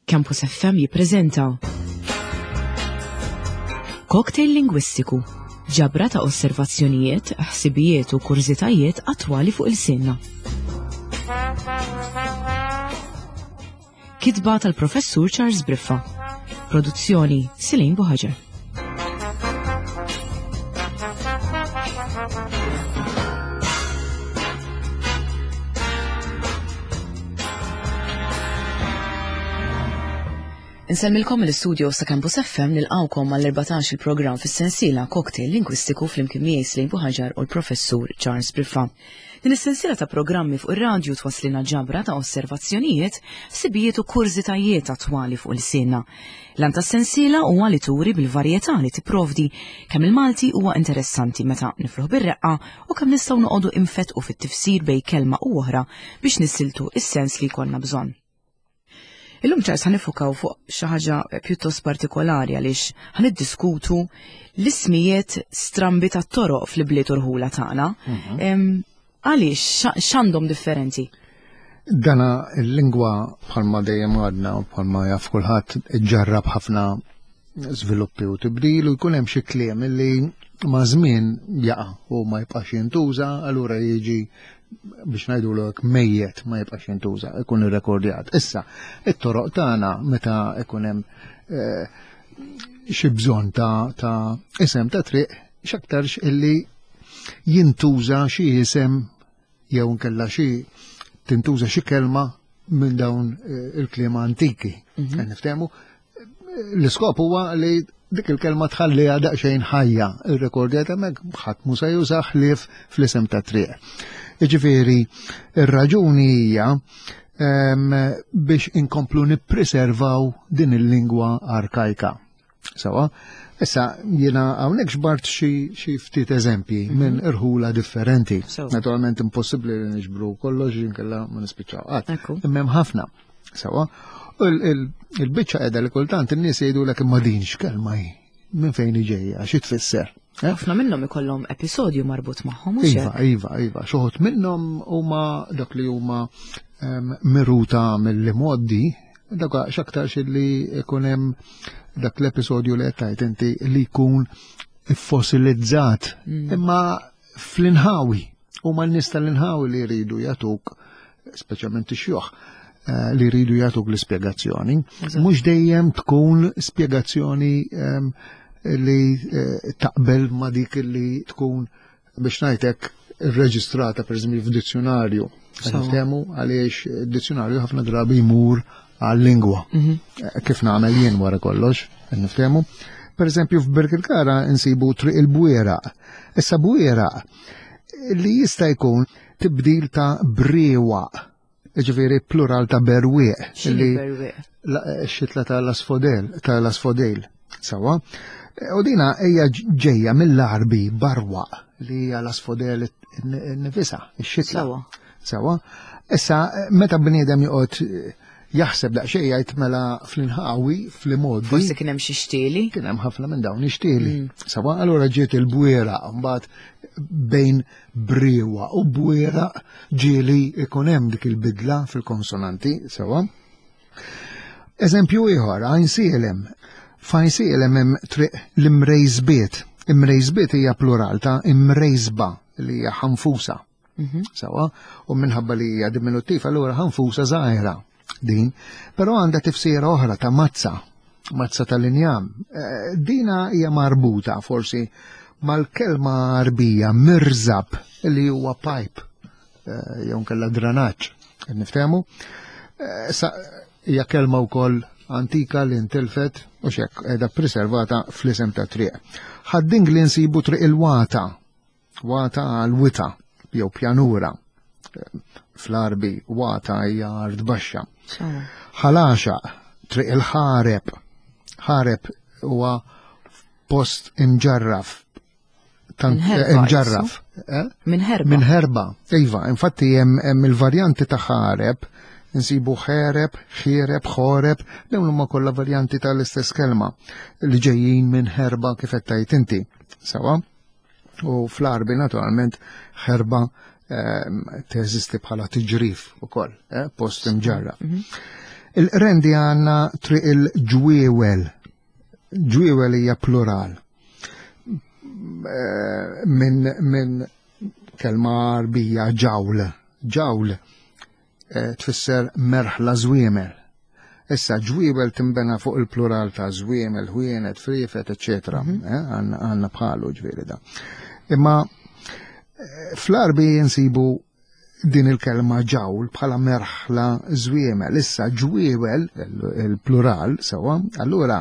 Campus FM jippreżenta Cocktail Lingwistiku, ġabra ta' osservazzjonijiet, ħsibijiet u kurżitajiet attwali fuq il-sinna. Kitba tal-Professur Charles Briffa. Produzzjoni Silin Buħaġer. Insellmilkom mill-istudio sa' Campus FM nilqawkom mal-14 il-programm fis-sensiela Cocktail Lingwistiku flimkien miegħi Slim Buħaġar u l-Professur Charles Briffa. Din is-sensiela ta' programmi fuq ir-radju twaslilna ġabra ta' osservazzjonijiet, ħsibijiet u kurżitajiet attwali fuq il-sienna. L-għan tas-sensiela huwa li turi bil-varjetà li tipprovdi kemm il-Malti huwa interessanti meta nifluh bir-reqqa u kemm nistgħu noqogħdu infettqu fit-tifsir bejn kelma u oħra biex nissiltu is-sens li jkollna bżonn. Illum ċars ħa nifukaw fuq xi ħaġa pjuttost partikolari għaliex ħa niddiskutu l-ismijiet strambi tat-toroq fl-ibliet u rħula tagħna. Mhm. Għaliex x'għandhom differenti? Dana il-lingwa bħalma dejjem għadna u bħalma jaf kulħadd iġġarrab ħafna żviluppi u tibdil u jkun hemm xi kliem li ma' żmien jaqa' u ma jibqax jintuża, allura jiġi biex ngħidulek mejjet ma jibqax jintuża, ikun irrekordjat. Issa, it-toroq tagħna meta ikun hemm eh, xi bżonn ta', ta isem ta' triq x'aktarx illi jintuża xi isem jew nkella xi tintuża xi kelma minn dawn eh, il-kliem antiki. Mm Niftehmu l-iskop huwa li dik il-kelma tħalliha daqsxejn ħajja, ir-rekordjat hemmhekk ħadd mhu se juża ħlief fl-isem ta' triq. Jiġifieri, ir-raġuni hija ehm, biex inkomplu nippreservaw din il-lingwa arkajka. Sawa, issa jiena hawnhekk xbart xi ftit eżempji mhm. minn irħula differenti. Naturalment impossibbli li niġbru kollox inkella ma nispiċċaw qatt. Imma hemm ħafna. Sawa, il-biċċa qiegħda li kultant in-nies jgħidulek imma din x'kelma hi minn fejn ġejja, xi tfisser. Eh? Ħafna minnhom ikollhom episodju marbut magħhom. Iva, iva, iva. Xoħod minnhom huma dak li huma ehm, miruta mill-modi Dak x'aktarx li jkun hemm dak l-episodju li qed tgħid inti li jkun fossilizzat mm. imma fl-inħawi huma n-nies tal-inħawi li jridu jagħtuk speċjalment ix-xjuħ eh, li jridu jagħtuk l-ispjegazzjoni. Mhux dejjem tkun spjegazzjoni ehm, li eh, taqbel ma dik li tkun biex ngħidlek irreġistrata pereżempju f'dizzjonarju. Niftehmu għaliex dizzjonarju ħafna drabi jmur għal-lingwa. Mhm. Eh, kif nagħmel jien wara kollox, niftehmu. Per eżempju f'Birkirkara nsibu triq il-bwieraq. Issa bwieraq li jista' jkun tibdil ta' briewaq Ġifieri plural ta' berwieq. Li eh, xitla ta' l-asfodel, ta' l-asfodel. Sawa. U dina hija ġejja mill-Arbi barwa li hija l-asfodel nifisa, ix-xitla. Sawa. Sawa. Issa meta bniedem joqgħod eh, jaħseb daqsxejn jgħid mela fl-inħawi fl-imoddi. Forsi kien hemm xi xtieli. Kien hemm ħafna minn dawn ix-xtieli. Mm. Sawa, allura ġiet il-bwiera mbagħad bejn briewa u bwiera ġieli ikun hemm dik il-bidla fil-konsonanti sewa. Eżempju ieħor, għajn sielem. F'għajn sielem hemm triq l-imrejżbiet. Imrejżbiet hija plural ta' imrejżba li hija ħanfusa. Mhm. Sewa, u minħabba li hija diminuttiv allura ħanfusa żgħira din, però għandha tifsira oħra ta' mazza, mazza tal-injam. Eh, dina hija marbuta forsi mal-kelma Arbija mirzab li huwa pipe eh, jew nkella dranaġġ, niftehmu. Eh, sa hija kelma wkoll antika li ntilfet u xek qiegħda preservata fl-isem ta' triq. Ħadding li nsibu triq il-wata, Wata għal wita jew pjanura. Fl-Arbi wata hija art baxxa. Ħalaxa triq il-ħareb. Ħareb huwa post imġarraf imġarraf. Eh? Minn herba. Minn herba. Iva, infatti hemm il-varjanti ta' ħareb nsibu ħereb, ħiereb, ħoreb, dawn huma kollha varjanti tal-istess kelma li ġejjin minn herba kif qed tgħid inti. Sawa? U fl-Arbi naturalment ħerba ehm, teżisti bħala tiġrif ukoll, eh, post imġarra. Mhm. Il-Qrendi għandna triq il-Ġwiewel. Ġwiewel hija plural. Eh, minn min kelma Għarbija ġawl. Ġawl eh, tfisser merħla żwiemel. Issa ġwiebel timbena fuq il-plural ta' żwiemel, ħwienet, friefet, eċetera. Mhm. Eh, għandna bħalu ġifieri da. Imma fl-Arbi nsibu din il-kelma ġawl bħala merħla żwiemel. Issa ġwiewel, il-plural, sewa, allura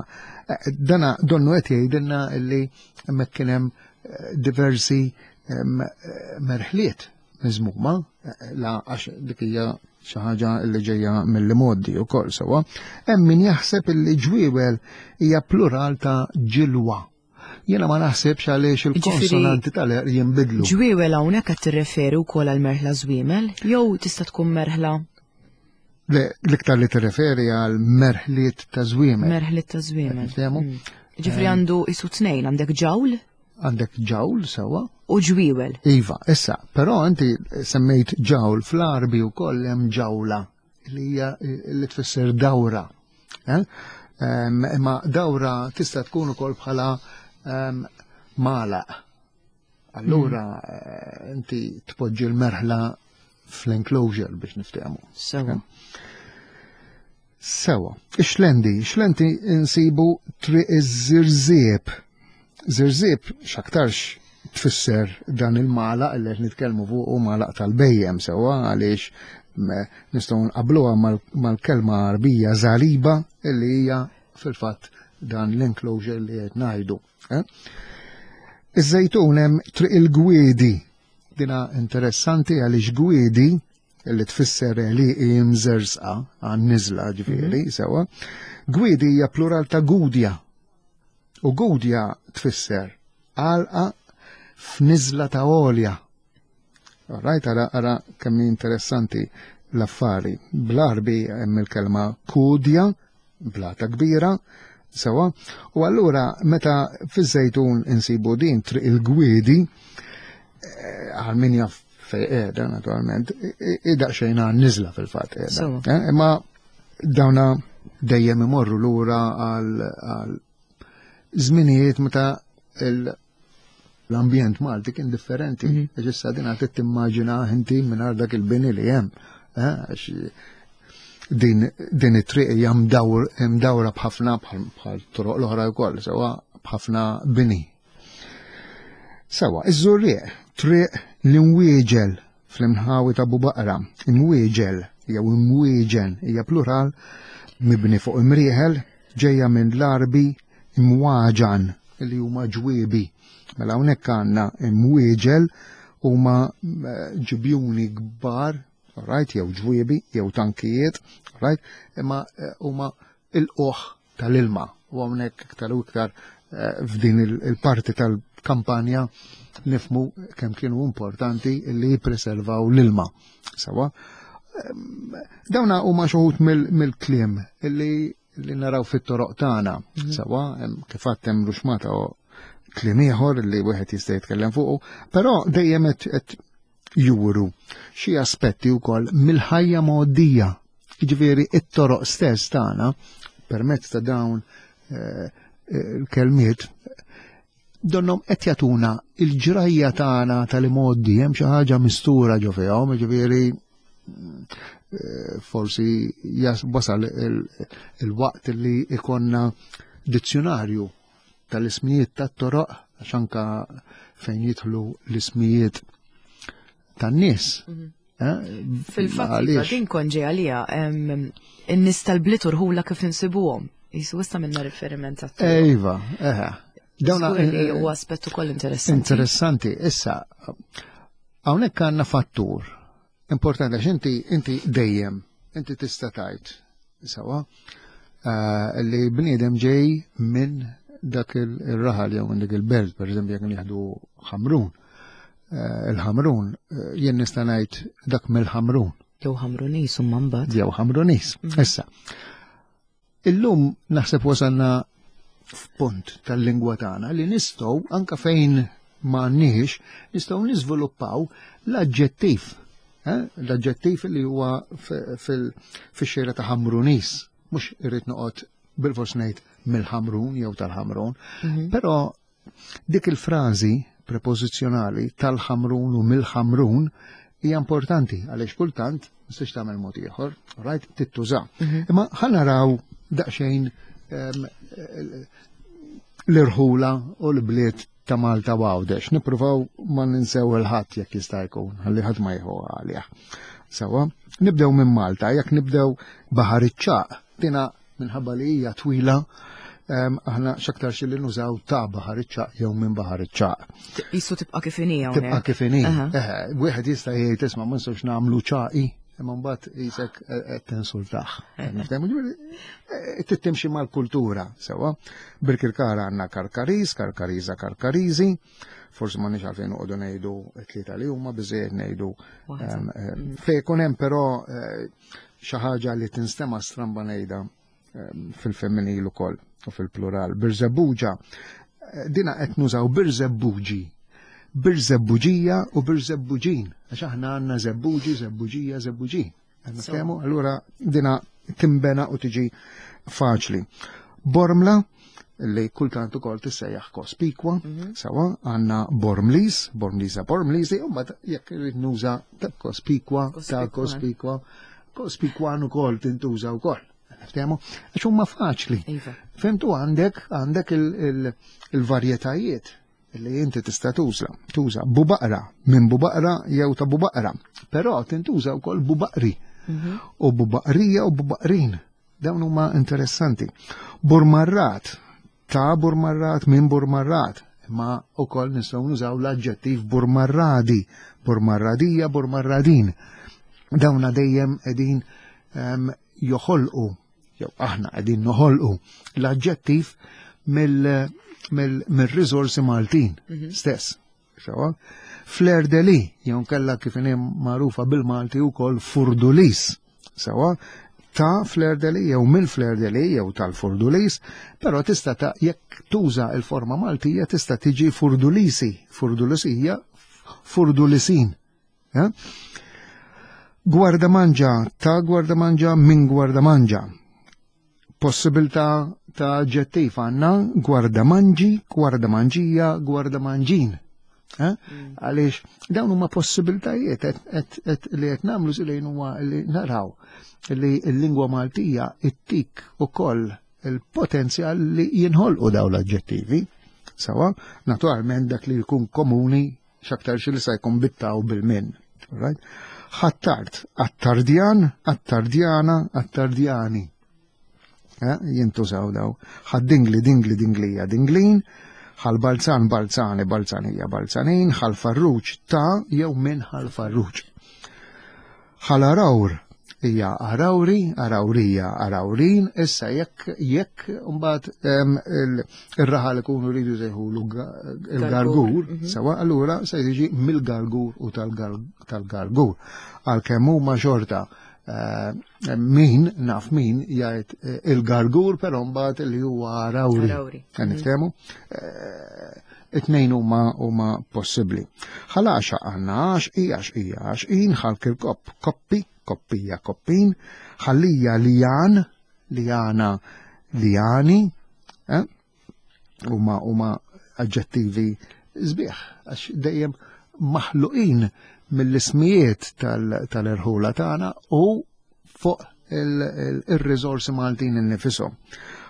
eh, dana donnu qed jgħidilna li hemmhekk kien hemm eh, diversi eh, merħliet miżmuma, la għax dik hija xi ħaġa li ġejja mill-modi wkoll sewa. Hemm min jaħseb illi ġwiewel hija plural ta' ġilwa. Jiena ma naħsibx għaliex il-konsonanti tal-er jinbidlu. Ġwiewel hawnhekk qed tirreferi wkoll għal merħla żwiemel jew tista' tkun merħla Le, l-iktar li tirreferi għal merħliet ta' żwiemel. Merħliet ta' żwiemel. Mm. Ġifri eh. għandu isu tnejn, għandek ġawl? Għandek ġawl sewa. U ġwiewel. Iva, issa, però inti semmejt ġawl fl-Arbi wkoll hemm ġawla li hija li tfisser dawra. Eh? Imma dawra tista' tkun ukoll bħala malaq. Allura mm. eh, inti tpoġġi l-merħla fl-enclosure biex niftehmu. Sewa. Eh? Sewa. Ix-xlendi, xlendi insibu triq iż-żirżieb. Żirżieb x'aktarx tfisser dan il-malaq li qed nitkellmu fuq u malaq tal-bejjem sewwa għaliex nistgħu nqabluha mal-kelma Għarbija żaliba li hija fil-fatt dan l-enclosure li qed ngħidu. Eh? Iż-żejtun hemm triq il-gwiedi. Dina interessanti għaliex gwiedi li tfisser li imżersqa għan-niżla ġifieri mhm. sewwa. Gwiedi hija plural ta' gudja. U gudja tfisser għalqa f'niżla ta' għolja. Rajt ara ara kemm interessanti l-affari. Bl-Arbi hemm il-kelma kudja, blata kbira, sewa, u allura meta fiż-żejtun insibu din triq il-gwiedi, eh, għal min jaf fej qiegħda naturalment, idaqsxejn għan niżla fil-fatt qiegħda. Eh, imma dawna dejjem imorru lura għal żminijiet meta l-ambjent Malti kien differenti. Mhm. Għax issa din għad timmaġina inti mingħajr dak il-bini li hemm. Eh, din din it-triq hija mdawra b'ħafna bħal toroq l-oħra wkoll, sewa b'ħafna bini. Sewa, iż-żurrieq, triq l-imwieġel fl-imħawi ta' Bubaqra, imwieġel jew imwieġen hija plural mibni fuq imrieħel ġejja minn l-Għarbi imwaġan li huma ġwiebi. Mela hawnhekk għandna imwieġel huma eh, ġibjuni kbar, right, jew ġwiebi, jew tankijiet, right, imma eh, huma il-qoħ tal-ilma. U hawnhekk iktar u iktar eh, f'din il-parti tal-kampanja nifmu kemm kienu importanti li jippreservaw l-ilma. Sawa. Ehm, dawna huma xi mill-kliem li li naraw fit-toroq tagħna. Mhm. Sawa, kif għadd hemm ruxmata kliem ieħor li wieħed jista' jitkellem fuqu, però dejjem qed juru xi aspetti wkoll mill-ħajja mgħoddija. Jiġifieri it-toroq stess tagħna permezz ta' dawn eh, il-kelmiet donnom qed jagħtuna il-ġrajja tagħna tal-imgħoddi hemm xi ħaġa mistura ġo fihom, jiġifieri eh, forsi wasal il-waqt li ikonna dizzjonarju tal-ismijiet tat-toroq għax anka fejn jidħlu l-ismijiet tan-nies. Mhm. Eh, Fil-fatt, iva, din konġi għalija, in-nies tal-bliet urħula kif insibuhom. Jisu issa minna riferiment għat Iva, eħe. Dawna eh, u aspett ukoll interessanti. Interessanti, issa, hawnhekk għandna fattur Importanti għax inti inti dejjem inti tista' tgħid sewa eh, li bniedem ġej minn dak il-raħal jew minn dik il-belt, per eżempju jekk nieħdu ħamrun. Eh, il-ħamrun eh, jien nista' ngħid dak mill-ħamrun. Jew ħamrunis u mbagħad. Jew ħamrunis. Mm. Issa. Illum naħseb wasalna f'punt tal-lingwa tagħna li nistgħu anka fejn ma għandniex nistgħu niżviluppaw l-aġġettiv. Eh? L-aġġettiv li huwa fix-xejra ta' Ħamrunis, mhux irrid noqgħod bil-fors ngħid mill-Ħamrun jew tal-Ħamrun, però dik il-frażi prepożizzjonali tal-Ħamrun u mill-Ħamrun hija importanti għaliex kultant ma tistax tagħmel mod ieħor, right, tittuża. Imma ħa naraw daqsxejn l-irħula u l-bliet ta' Malta u Għawdex. Nippruvaw ma ninsew il-ħadd jekk jista' jkun, ħalli ħadd ma jieħu għalih. Sawa, nibdew minn Malta, jekk nibdew Baħar iċ-Ċagħaq, dina minħabba li hija twila, aħna x'aktar xi li nużaw ta' Baħar iċ-Ċagħaq jew minn Baħar iċ-Ċagħaq. Jisu tibqa' kif inhi Tibqa' kif inhi. Wieħed jista' jgħid isma' ma nistgħux nagħmlu ċaqi, imma mbagħad jisek qed tinsultah. Tittimxi mal-kultura, sewa. Birkirkara għandna Karkariż, Karkariża, Karkariżi. Forsi ma nix għalfejn noqogħdu ngħidu tlieta li huma biżejjed ngħidu fejn ikun hemm però xi ħaġa li tinstema' stramba ngħidha fil-femminil ukoll u fil-plural. Birżebbuġa, dina qed nużaw birżebbuġi, birżebbuġija u birżebbuġin, għax aħna għandna żebbuġi, żebbuġija, żebbuġin. Niftehmu? Allura dina timbena u tiġi faċli. Bormla, li kultant ukoll tissejjaħ Kospikwa, sawa, għandna Bormlis, Bormlisa, Bormlisi, u mbagħad jekk irrid nuża ta' Kospikwa, ta' Kospikwa, Kospikwan ukoll tintuża wkoll. Niftehmu? Għax huma faċli. Fimtu għandek għandek il-varjetajiet li inti tista' tuża, tuża bubaqra, minn bubaqra jew ta' bubaqra. Però tintuża wkoll bubaqri. U bubaqrija u bubaqrin. Dawn huma interessanti. Burmarrat, ta' burmarrat, minn burmarrat. Imma wkoll nistgħu nużaw l-aġġettiv burmarradi, burmarradija, burmarradin. Dawna dejjem qegħdin joħolqu, jew aħna qegħdin noħolqu l-aġġettiv mill-riżorsi Maltin stess. Sewa? Fleur de lis, jew kella kif inhi magħrufa bil-Malti wkoll Furdulis. Sewa? Ta' Fleur de lis jew mill Fleur de lis jew tal-Furdulis, però tista' ta' jekk tuża il-forma Maltija tista' tiġi Furdulisi, Furdulisija, Furdulisin. Eh? Gwardamanġa, ta' Gwardamanġa, minn Gwardamanġa. Possibilità ta' aġġettiv għandna gwardamanġi, gwardamanġija, gwardamanġin. Eh? Għaliex dawn huma possibilitajiet li qed nagħmlu żilejn huwa li naraw li l-lingwa Maltija ittik ukoll il-potenzjal li jinħolqu dawn l-aġġettivi. Sawa, naturalment dak li jkun komuni x'aktar xi li sa jkun bittaw bil-min. Right? Ħattart, attardjan, attardjana, attardjani. Eh, jintużaw daw. Ħaddingli, dingli, dinglija, dinglin, ħal-balzan, balzani, balzanija, balzanin, ħal-farruġ ta' jew minn ħal-farruġ. Ħal-arawr hija arawri, arawrija, arawrin, issa jekk jekk mbagħad ir-raħal ikunu rridu jsejħulu il-gargur, sewa allura se jiġi mill-gargur u tal-gargur. Għalkemm huma xorta min naf min jgħid il-gargur però mbagħad li huwa arawri. Qed niftehmu? It-tnejn huma huma possibbli. Ħalaxa għandna għax i għax i għax in ħal kirkop koppi koppija koppin ħallija lijan lijana lijani eh? huma huma aġġettivi sbieħ għax dejjem maħluqin mill-ismijiet tal-irħula tagħna u fuq il-riżorsi Maltin innifisom.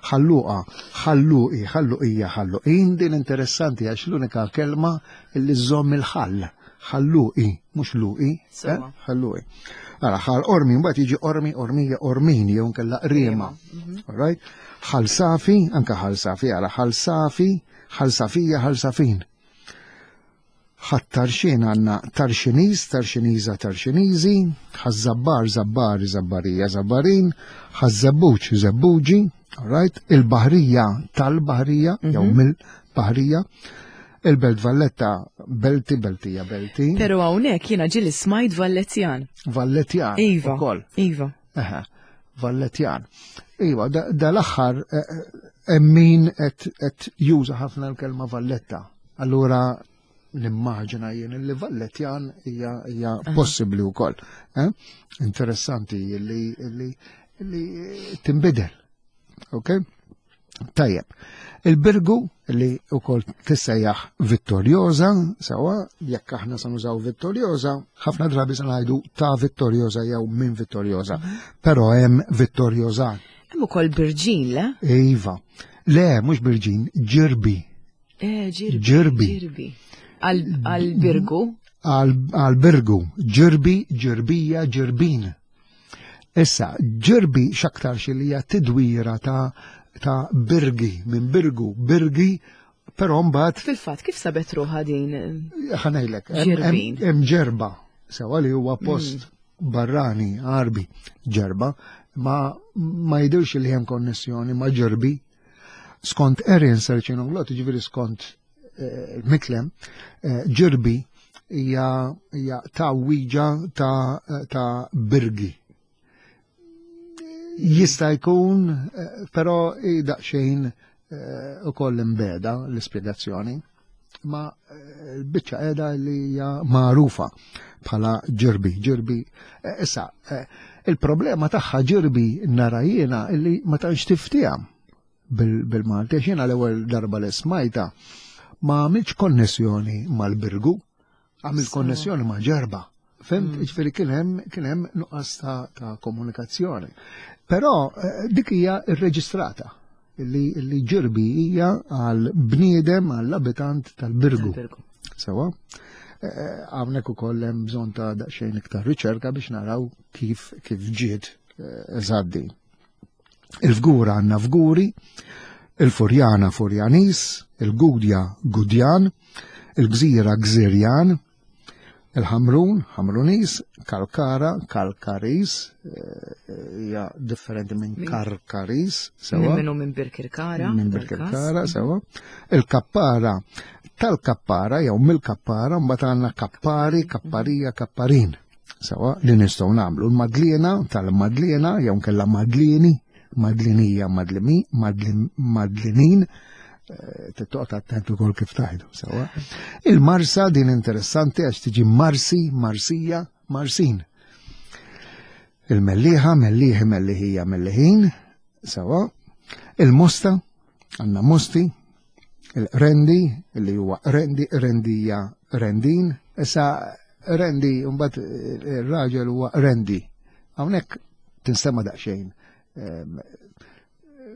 Ħalluqa, ħalluqi, ħalluqija, ħalluqin, din interessanti għax l-unika kelma li żżomm il-ħall. Ħalluqi, mhux luqi, eh? ħalluqi. Ara, ħal ormi, mbagħad jiġi ormi, ormija, ormin, jew nkella qriema. All right? Ħal safi, anka ħal safi, ara, ħal safi, ħal safija, ħal safin. Ħat-Tarxien għandna Tarxiniż, Tarxiniża, Tarxiniżi, Ħaż-Żabbar, Żabbari, Żabbarija, Żabbarin, Ħaż-Żebbuġ, Żebbuġi, all right, il-Baħrija tal-Baħrija, jew mill-Baħrija, il-Belt Valletta, Belti, Beltija, Belti. Pero hawnhekk jiena ġieli smajt Vallettjan. Vallettjan. Iva. Ukoll. Iva. Eħe, Vallettjan. Iva, dal-aħħar hemm min qed juża ħafna l-kelma Valletta. Allura nimmaġina jien li Vallettjan hija possibbli wkoll. Eh? Interessanti li li li tinbidel. Ok? Tajjeb. Il-Birgu li wkoll tissejjaħ Vittoriosa, sewa jekk aħna se nużaw Vittoriosa, ħafna drabi se ngħidu ta' Vittoriosa jew minn Vittoriosa, però hemm Vittoriosa. Hemm ukoll Birġin, le? Iva. Le, mhux Birġin, Ġirbi. Eh, Ġirbi. Ġirbi. Għal-Birgu? Għal-Birgu. Ġirbi, Ġirbija, Ġirbin. Issa, Ġirbi x'aktarx li hija tidwira ta' ta' Birgi, minn Birgu, Birgi, però mbagħad. Fil-fatt, kif sabet ruħha din? Ħa ngħidlek, hemm Ġerba, sewa li huwa post barrani, Għarbi, Ġerba, ma ma jidhirx li hemm konnessjoni ma' Ġirbi. Skont Erin Serċinoglot, ġifieri skont Miklem, Ġirbi hija tgħawwiġa ta' Birgi. Jista' jkun, però hi daqsxejn ukoll imbegħda l-ispjegazzjoni. Ma l-biċċa qiegħda li hija magħrufa bħala Ġirbi. Ġirbi, issa, il-problema tagħha Ġirbi nara jiena illi ma tantx tiftiha bil-Malti, għax jiena l-ewwel darba li smajta ma għamilx konnessjoni mal-Birgu, għamil konnessjoni ma' Ġerba. Fimt, ġifieri kien hemm kien hemm nuqqas ta' komunikazzjoni. Però dik hija rreġistrata li li Ġirbi hija għal bniedem għall abitant tal-Birgu. Sewa. Hawnhekk ukoll hemm bżonn ta' daqsxejn iktar riċerka biex naraw kif kif ġiet eżatt din. Il-Fgura għandna Fguri, il-Furjana Furjanis, il-Gudja Gudjan, il-Gżira Gżirjan, il-Ħamrun Ħamrunis, Kalkara Kalkaris, hija differenti minn Karkaris, sewa. Minnu minn Birkirkara. Minn Birkirkara, sewa. Il-Kappara tal-Kappara jew mill-Kappara mbagħad għandna Kappari, Kapparija, Kapparin. Sewa li nistgħu nagħmlu l-Madliena tal-Madliena jew nkella Madlieni, Madlinija, Madlimi, Madlinin, tittoqgħod attent ukoll kif tgħidu, sewa. Il-Marsa din interessanti għax tiġi Marsi, Marsija, Marsin. Il-Mellieħa, Mellieħi, Melliħija, Melliħin, sewa. Il-Mosta, għandna Mosti, il-Rendi, li huwa Rendi, Rendija, Rendin. Issa Rendi, mbagħad ir-raġel huwa Rendi. Hawnhekk tinstema' daqsxejn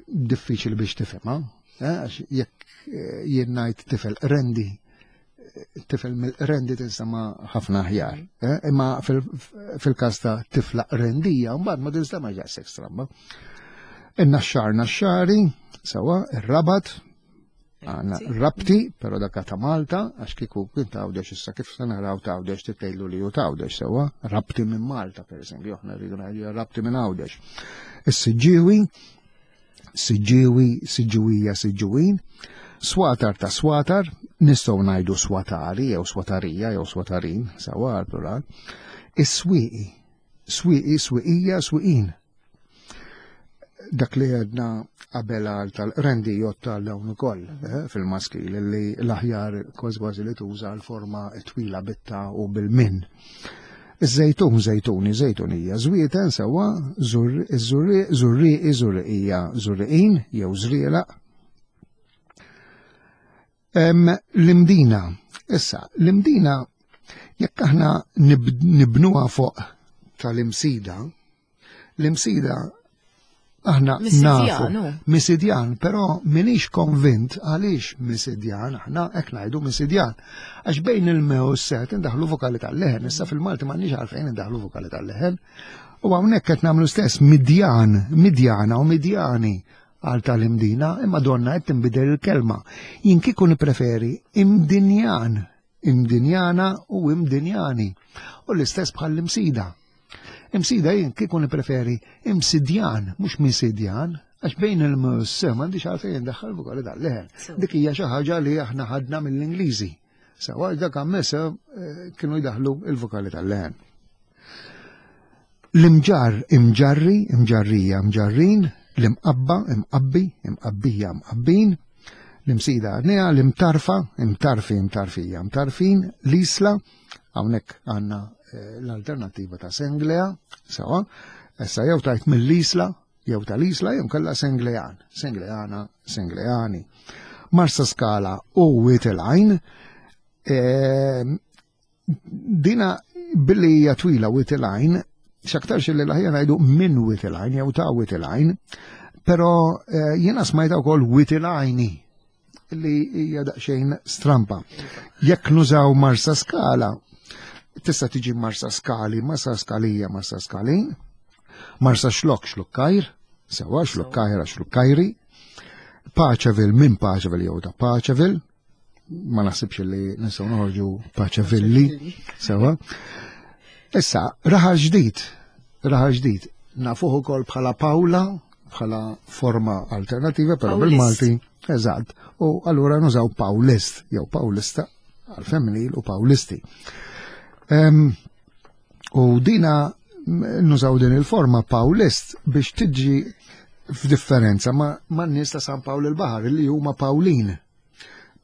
diffiċli biex tifhimha, għax jekk jien ngħid tifel Rendi, tifel mill-Rendi tinstema' ħafna aħjar. Imma fil-każ ta' tifla Rendija, mbagħad ma tinstema' daqshekk stramba. In-Naxxar Naxxari, sewa, ir-Rabat, għandna Rabti, però dak ta' Malta, għax kieku kien ta' Għawdex issa kif se naraw ta' Għawdex titgħidlu li hu ta' Għawdex sewa, Rabti minn Malta pereżempju, aħna rridu ngħidu Rabti minn Għawdex. Is-Siġġiewi, Siġġiewi, Siġġiwija, Siġġiwin, Swatar ta' Swatar, nistgħu ngħidu Swatari jew Swatarija jew Swatarin, sewa għall-plural. Is-Swieqi, Swieqi, Swieqija, Swieqin. Dak li għedna qabel għal tal-rendi jotta għal dawn ukoll fil-maskil li l-aħjar kważi kważi li tuża l-forma twila bitta u bil-min. Iż-żejtun, żejtuni, żejtunija, żwieten sewwa, iż-żurrieq, żurrieqi, żurriqija, żurriqin jew żrielaq. L-Imdina, issa, l-Imdina jekk aħna nibnuha fuq tal-Imsida, L-Imsida aħna nafu. Misidjan, però minix konvint għaliex Misidjan, aħna hekk ngħidu Misidjan. Għax bejn il-me u s-set indaħlu vokali tal-leħen, issa fil-Malti m'għandniex għalfejn indaħlu vokali tal-leħen. U hawnhekk qed nagħmlu stess Midjan, Midjana u Midjani għal tal-Imdina, imma donna qed tinbidel il-kelma. Jien kieku nippreferi Imdinjan, Imdinjana u Imdinjani. U l-istess bħall-Imsida. Imsida jien kieku nippreferi Imsidjan, mhux Misidjan, għax bejn il-mus m'għandix għalfejn indaħħal vokali tal-leħen. Dik hija xi ħaġa li aħna ħadna mill-Ingliżi. Sewa dak għammesa kienu jdaħlu il-vokali tal-leħen. L-imġar imġarri, imġarrija, imġarrin, l-imqabba, imqabbi, imqabbija, imqabbin, L-imsida għadniha, l-imtarfa, imtarfi, imtarfija, imtarfin, l-isla, hawnhekk għandna eh, l-alternattiva ta' Senglea, sewa, issa jew tajt mill-isla, jew tal-isla, jew kella Senglean, Sengleana, Sengleani. Marsa Skala u Witilajn, eh, dina billi hija twila Witilajn, x'aktarx li l-aħjar ngħidu minn Witilajn jew ta' Witilajn, però eh, jiena smajta wkoll Witilajni li hija daqsxejn strampa. Jekk nużaw Marsa Skala, tista' tiġi Marsa Skali, Marsa Skalija, Marsa Skalin, Marsa Xlok, Xlukkajr, sewa Xlukkajra, Xlukkajri, Paċevil minn Paċevil jew ta' Paċevil, ma naħsibx li nistgħu noħorġu Paċevilli, sewa. Issa, raħal ġdid, raħal ġdid, nafuh ukoll bħala Pawla, bħala forma alternativa, però bil-Malti, eżatt, u allura nużaw Pawlist, jew Pawlista għal-femminil u Pawlisti. U dina nużaw din il-forma Pawlist biex tiġi f'differenza ma' n-nies ta' San Pawl il-Baħar li huma Pawlin.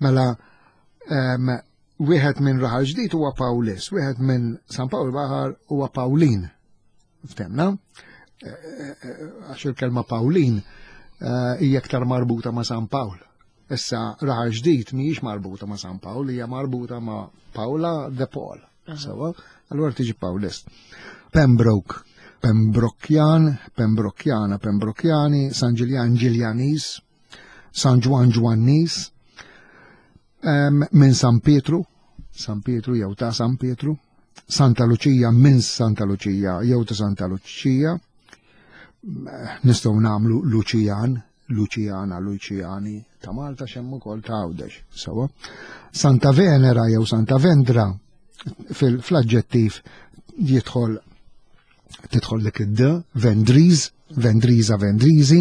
Mela, wieħed minn Raħal Ġdid huwa Pawlis, wieħed minn San Pawl Baħar huwa Pawlin. Ftemna? Eh, eh, eh, għax il-kelma Pawlin hija aktar marbuta ma' San Pawl. Issa Raħal Ġdid mhijiex marbuta ma' San Pawl, hija marbuta ma' Paula de Paul. Sewa, allura tiġi Pawlist. Pembroke, Pembrokjan, Pembrokjana, Pembrokjani, San Ġiljan, Ġiljanis, San Ġwann Ġwannis, minn San Pietru, San Pietru jew ta' San Pietru, Santa Luċija minn Santa Luċija jew ta' Santa Luċija, nistgħu nagħmlu Luċijan, Luċijana, Luċijani ta' Malta xemm ukoll ta' Għawdex, sewa. Santa Venera jew Santa Vendra fil-aġġettiv jidħol tidħol dik id-d, Vendriż, Vendriża, Vendriżi,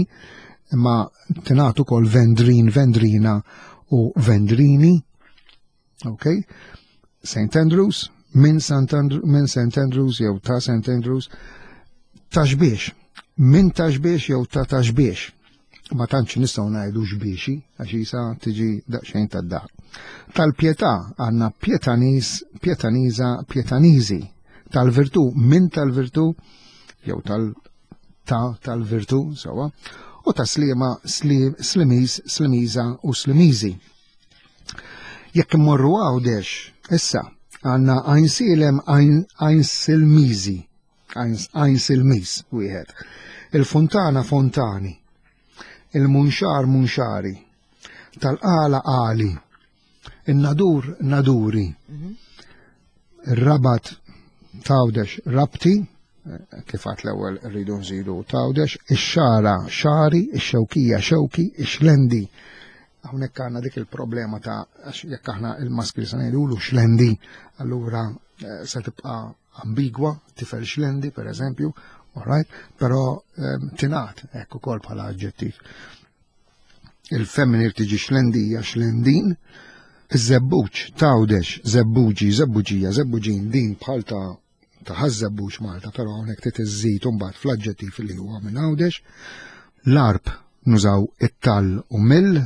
imma tingħad ukoll Vendrin, Vendrina u Vendrini. Ok? St. Andrews, minn St. Andrew, minn St. Andrews jew ta' St. Andrews, taxbiex, minn taxbiex jew ta' taxbiex. Ma tantx nistgħu ngħidu xbiexi għax isa tiġi daqsxejn tad-daħ. Tal-pietà għandna pietaniż, pietaniża, pietaniżi. Tal-virtù minn tal-virtù jew tal ta' tal-virtù sewwa u ta' sliema slimiż, slimiża u slimiżi. Jekk immorru Għawdex, issa għandna Għajnsielem Għajnsilmiżi. Għajn Silmis wieħed. Il-Funtana Fontani. Il-Munxar Munxari. Tal-Qala Qali. Il-Nadur Naduri. Mhm. Ir-Rabat Tawdex Rabti, kif għat l-ewwel rridu nżidu Tawdex, ix-Xara Xari, ix-Xewkija Xewki, ix-Xlendi. Hawnhekk għandna dik il-problema ta' jekk aħna il-maskri se ngħidulu xlendi, allura eh, se tibqa' ambigwa, tifel xlendi per eżempju, all right, però ehm, tingħad hekk ukoll bħala aġġettiv. Il-femminil tiġi xlendija, xlendin, iż-żebbuġ, tawdex, żebbuġi, żebbuġija, żebbuġin, din bħal ta' ta' ħaż-żebbuġ Malta, però hawnhekk trid iżżid imbagħad fl-aġġettiv li huwa minn Għawdex. L-arb nużaw it-tal u mill,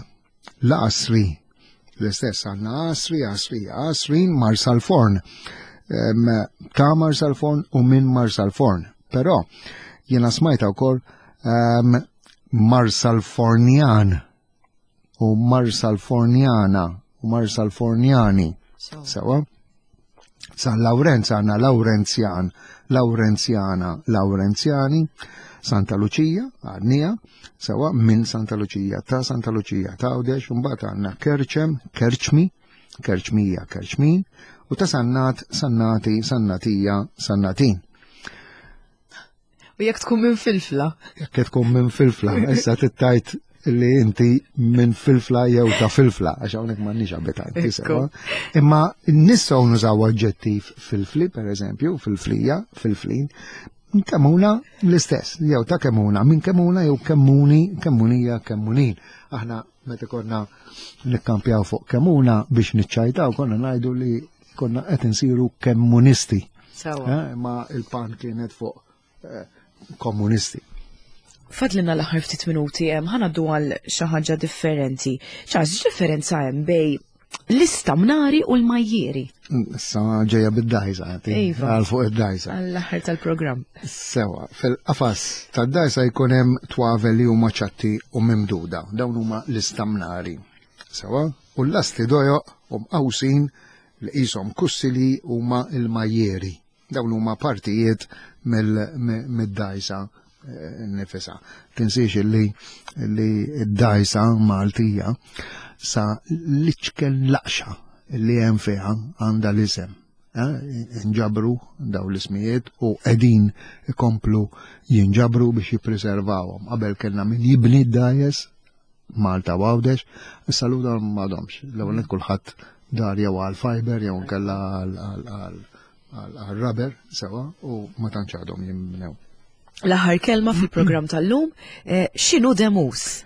l-għasri L-istess għandna Għasri, Għasri, Għasrin, Marsalforn. Ta' Marsalforn u minn Marsalforn. Però jiena smajta wkoll Marsalfornjan u Marsalfornjana u Marsalfornjani. Sewa? San Lawrenz għandna Lawrenzjan, Lawrenzjana, Lawrenzjani, Santa Luċija, għadnija, sewa minn Santa Luċija, ta' Santa Luċija, ta' Għawdex, mbagħad għandna Kerċem, Kerċmi, Kerċmija, Kerċmin, u ta' Sannat, Sannati, Sannatija, Sannatin. U jekk tkun minn filfla. Jekk tkun minn filfla, issa tittajt li inti minn filfla jew ta' filfla, għax hawnhekk m'għandniex abitanti sewa. Imma nistgħu nużaw aġġettiv filfli, per eżempju, filflija, filflin, kemuna l-istess, jew ta' kemuna, minn kemuna jew kemmuni, kemmunija, kemmunin. Aħna meta konna nikkampjaw fuq kemuna biex niċċajtaw, konna ngħidu li konna qed insiru kemmunisti. Eh, ma il-pan kienet fuq eh, komunisti. Fadlilna l-aħħar ftit minuti hemm ħa ngħaddu għal xi ħaġa differenti. Charles, x'differenza hemm bej l-istamnari u l-majjieri? Issa ġejja bid-dajsa, iva. għal fuq id-dajsa. Għall-aħħar tal-programm. Sewa, fil-qafas tad-dajsa jkun hemm twavel li huma ċatti u mimduda. Dawn huma l-istamnari. Sewa, u l-lasti dojoq u mqawsin li qishom kussili huma l-majjieri. Dawn huma partijiet mid-dajsa eh, nifisa. Tinsiex li li d-dajsa Maltija sa l-iċken laqxa li hemm fiha għandha l-isem. Eh, inġabru daw l-ismijiet u qegħdin ikomplu jinġabru biex jippreservawhom. Qabel kellna min jibni d-dajes Malta u Għawdex, issa l dawn m'għadhomx. L-ewwel nett kulħadd dar jew għal fiber jew nkella għal rubber sewa u ma tantx għadhom jinbnew. L-aħħar kelma fil-programm tal-lum, eh, x'inhu demus?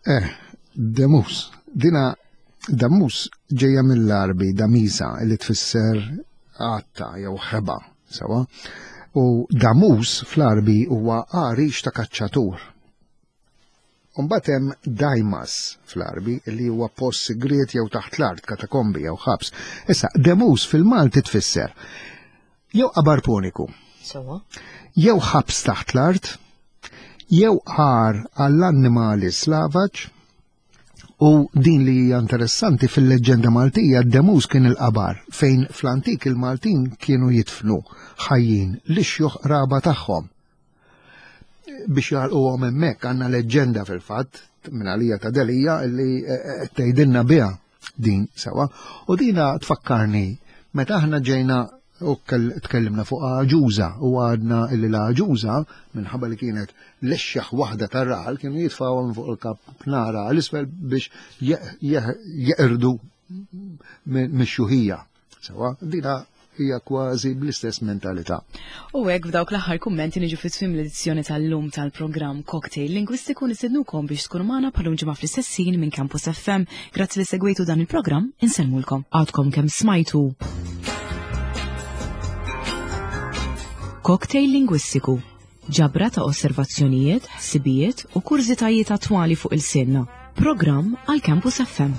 Eh, demus. Dina damus ġejja mill-Arbi damisa li tfisser għatta jew ħeba, sewa. U damus fl-Arbi huwa għarix ta' kaċċatur. U mbagħad hemm Daimas fl-Għarbi li huwa post sigriet jew taħt l-art, katakombi jew ħabs. Issa, Demus fil-Malti tfisser jew qabar puniku. Sewa. Jew ħabs taħt l-art, jew għar għall-annimali slavaġ, u din li hija interessanti fil-leġġenda Maltija Demus kien il-qabar fejn fl-antik il-Maltin kienu jidfnu ħajjin l-ixjuħ qraba tagħhom. biex jgħalquhom hemmhekk għandna leġġenda fil-fatt minn għalija ta' Delija li eh, eh, tgħidilna biha din sewa. U dina tfakkarni meta aħna ġejna u tkellimna fuq għaġuża u għadna illi l-għaġuża minħabba li kienet l-exxaħ waħda tar-raħal kienu jitfgħu minn fuq il-kap nara għal-isfel biex jeqirdu mix-xuħija. Sewa, dina hija kważi bl-istess mentalità. U hekk f'dawk l-aħħar kummenti niġu fi tmiem l-edizzjoni tal-lum tal-programm Cocktail Lingwistiku nistednukom biex tkunu magħna bħalum ġimgħa fl-istess ħin minn Campus FM. Grazzi li segwejtu dan il-programm, insellmulkom. Għadkom kemm smajtu. Cocktail Lingwistiku Ġabra ta' osservazzjonijiet, ħsibijiet u kurżitajiet attwali fuq ilsienna. Programm għal Campus FM.